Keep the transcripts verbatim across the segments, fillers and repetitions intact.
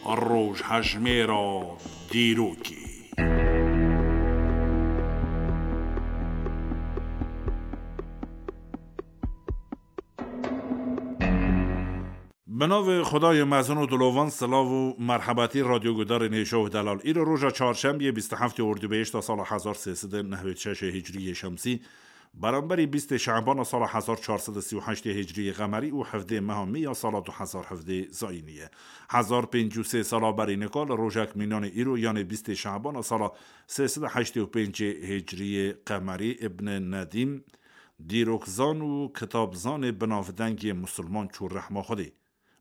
Rojhejmêra dîrokê. Bi navê Xwedayê mezin û dilovan silav û merhebetî radyogudarên hêja û delal. Îro roja çarşembiyê bîst û heftê ordubehişta sala hezar sê sed û nehwêd şeş hicriyê şemsî, beramberî bîstê şebana sala hezar çar sed û sî û heştê hicriyê qemerî û hevdê meha mê ya sala du hezar hevdê zayînî ye. Hezar pêncî û sê sala berî nika li rojek mînanê îro, yanê bîstê şebana sala sê sed û heştê û pêncê hicriyê qemerî, Ibn Nedîm, dîrokzan û kitabzanê binavdengê misilman çû rehma Xwedê.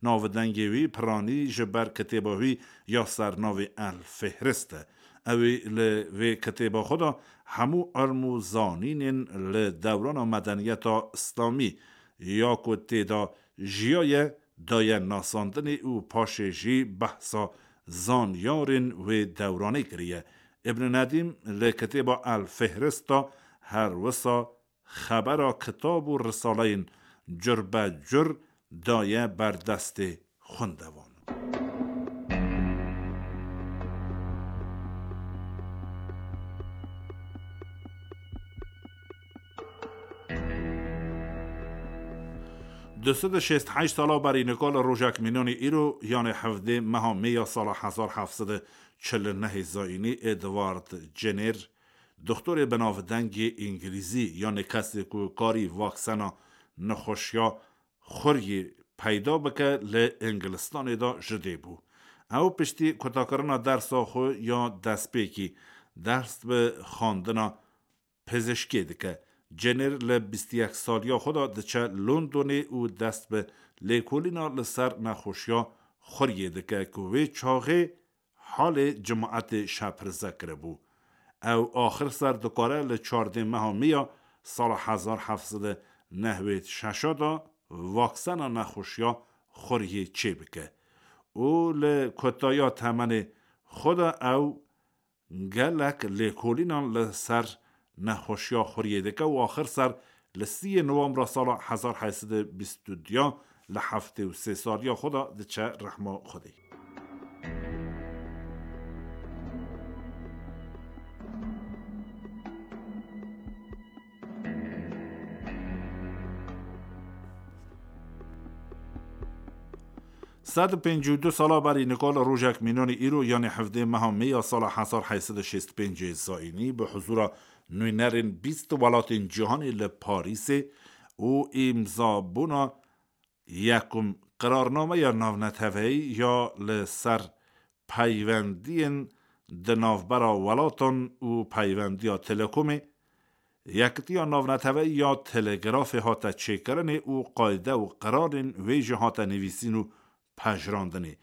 Navdengê wî piranî ji ber kitêba wî ya sernavê El Fihrist e. Ew ê li vê kitêba xwe de hemû ilm û zanînên li dewrana medeniyeta Îslamî ya ku tê de jiyaye daye nasandinê û paşê jî behsa zanyarên wê dewranê kiriye. Ibn Nedîm li kitêba El Fihrist de her wisa xebera kitab û risaleyên cur be cur daye ber destê xwendevan. Du sed û şêst heşt sala berî nika li rojek mînanê îro, yanê hevdê meha mê ya sala hezar heft sed û çil û nehê zayînî, Edward Jenner, doktorê binavdengê îngilîzî, yanê kesê ku karî vaksena nexweşiya xuriyê peyda bike, li Îngilistanê de ji dê bû. Ew piştî kutakirina dersa xwe ya destpêkî, dest bi xwendina pizişkê dike. Jenner li bîst û yek saliya xwe de diçe Londonê û dest bi lêkolîna li ser nexweşiya xuriyê dike ku wê çaxê halê cemaetê şepirze kiribû. Ew axir ser dikare li çardê meha mê ya sala hezar heft sed û nehwêd şeş de vaksena nexweşiya xuriyê çêbike û li kotaya temenê xwe de ew gelek lêkolînan li ser nexweşiya xuriyê dike û axir ser li sîyê Nowembra sala hezar heyt sed û bîst û du li heftê û sê saliya xwe de diçe rehma Xwedê. Sed û pêncî û du sala berî nika li rojek mînanê îro, yanê hevdê meha mê ya sala hezar heyt sed û şêst û pêncê zayînî, bi huzura nûnerên bîst welatên cîhanê li Parîsê û îmzabûna yekum qirarnameya navneteweyî ya li ser peywendiyên di navbera welatan û peyvendiya telekomê, Yekitiya Navneteweyî ya Telegrafê hate çêkirinê û qayde û qirarên wê jî hate nivîsîn û pejirandinê.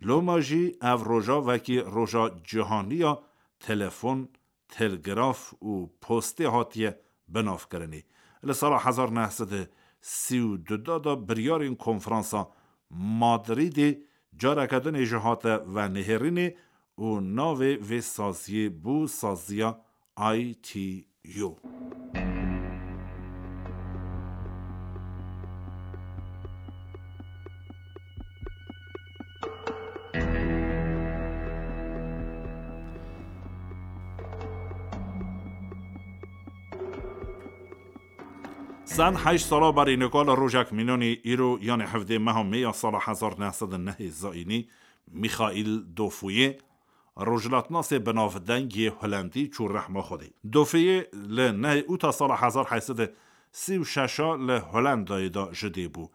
Loma jî ev roja wekî roja cîhanî ya telefon, telgraf û postê hatiye binavkirinê. Li sala hezar neh sed û sî û du de biryarên Konferansa Madrîdê careke din ê jî hate venihêrînê û navê vê saziyê bû saziya I T U. Sed heşt sala berî nika li rojek mînanî îro, yanê hevdê meha mê ya sala hezar neh sed û nehê zayînî, Michael Dofuyê, rojhilatnasê binavdeng yê Holendî çû rehma Xwedê. Dofuyê li nehê ûta sala hezar heyt sed û sî û şeş a li Holendayê de ji dê bû.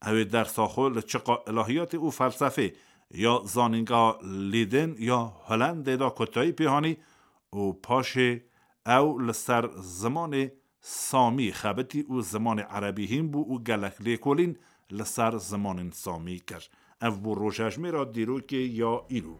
Ew ê dersa xwe li çiqa ilahiyatê û felsefê ya Zanîngeha Lîdên ya Holendê de kotayî pê hanî û paşê ew li ser zimanê Samî xebitî û zimanê erebî hîn bû û gelek lêkolîn li ser zimanên Samî kir. Ev bû rojhejmêra dîrokê ya îro.